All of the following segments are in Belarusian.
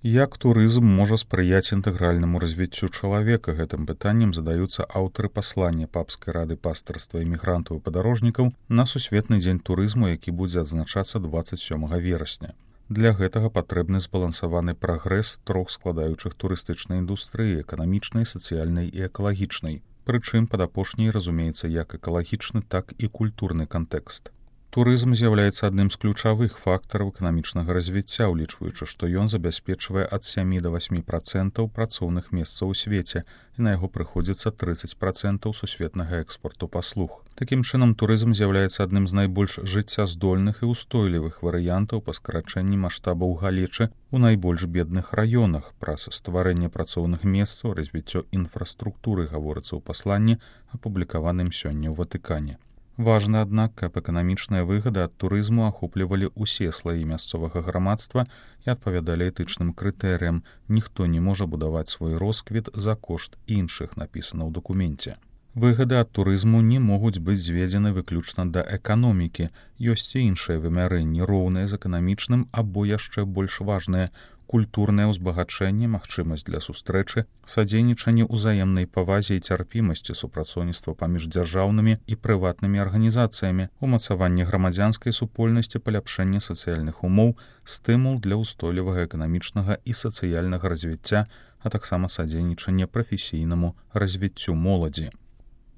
Як турызм можа спрыяць інтэгральнаму развіццю чалавека? Гэтым пытаннем задаюцца аўтары паслання папскай рады пастырства імігрантаў і падарожнікаў на сусветны дзень турызму, які будзе адзначацца 27 верасня. Для гэтага патрэбны збалансаваны прагрэс трох складаючых турыстычнай індустрыі: эканамічнай, сацыяльнай і экалагічнай. Прычым пад апошняй разумеецца як экалагічны, так і культурны кантэкст. Турызм з'яўляецца адным з ключавых фактараў эканамічнага развіцця, улічваючы, што ён забяспечвае ад 7 до 8% працоўных месцаў у свеце, і на яго прыходзіцца 30% сусветнага экспорту паслуг. Такім чынам, турызм з'яўляецца адным з найбольш жыццяздольных і ўстойлівых варыянтаў па скарачэнні маштабаў галечы ў найбольш бедных раёнах. Праз стварэнне працоўных месцаў, развіццё інфраструктуры гаворыцца ў пасланні, апублікаваным сёння ў Ватыкане. Важна, аднак, каб эканамічныя выгады ад турызму ахоплівалі ўсе слаі мясцовага грамадства і адпавядалі этычным крытэрыям. Ніхто не можа будаваць свой росквіт за кошт іншых, напісана ў дакуменце. Выгады ад турызму не могуць быць зведзены выключна да эканомікі. Ёсць і іншыя вымярэнні, роўныя з эканамічным або яшчэ больш важныя: культурнае ўзбагачэнне, магчымасць для сустрэчы, садзейнічанне ўзаемнай павазе і цярпімасці, супрацоўніцтва паміж дзяржаўнымі і прыватнымі арганізацыямі, умацаванне грамадзянскай супольнасці, паляпшэнне сацыяльных умоў, стымул для ўстойлівага эканамічнага і сацыяльнага развіцця, а таксама садзейнічанне прафесійнаму развіццю моладзі.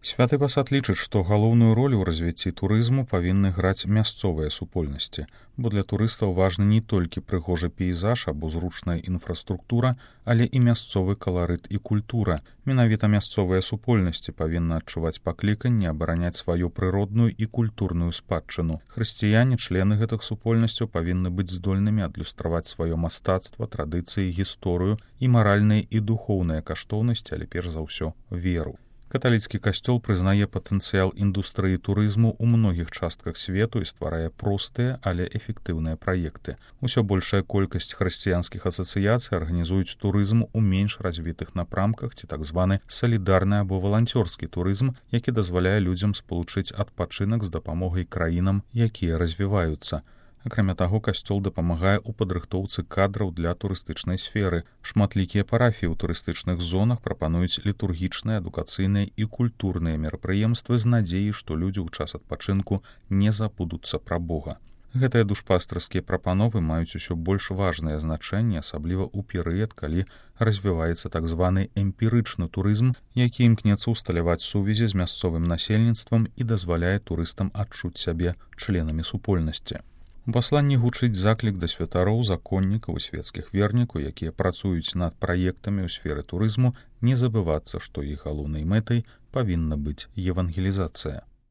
Святы пасад лічыць, што галоўную ролю ў развіцці турызму павінны граць мясцовыя супольнасці, бо для турыстаў важны не толькі прыгожы пейзаж або зручная інфраструктура, але і мясцовы каларыт і культура. Менавіта мясцовыя супольнасці павінны адчуваць пакліканне абараняць сваю прыродную і культурную спадчыну. Хрысціяне, члены гэтых супольнасцяў, павінны быць здольнымі адлюстраваць сваё мастацтва, традыцыі, гісторыю і маральныя і духоўныя каштоўнасці, але перш за ўсё веру. Каталіцкі касцёл прызнае патэнцыял індустрыі турызму ў многіх частках свету і стварае простыя, але эфектыўныя праекты. Усё большая колькасць хрысціянскіх асацыяцый арганізуюць турызм у менш развітых напрамках ці так званы салідарны або валанцёрскі турызм, які дазваляе людзям спалучыць адпачынак з дапамогай краінам, якія развіваюцца. Акрамя таго, касцёл дапамагае ў падрыхтоўцы кадраў для турыстычнай сферы. Шматлікія парафіі ў турыстычных зонах прапануюць літургічныя, адукацыйныя і культурныя мерапрыемствы з надзеяй, што людзі ў час адпачынку не забудуцца пра Бога. Гэтыя душпастырскія прапановы маюць усё больш важнае значэнне, асабліва ў перыяд, калі развіваецца так званы эмпірычны турызм, які імкнецца ўсталяваць сувязі з мясцовым насельніцтвам і дазваляе турыстам адчуць сябе членамі супольнасці. У пасланні гучыць заклік да святароў, законнікаў і светскіх вернікаў, якія працуюць над праектамі ў сферы турызму, не забывацца, што іх галоўнай мэтай павінна быць евангелізацыя.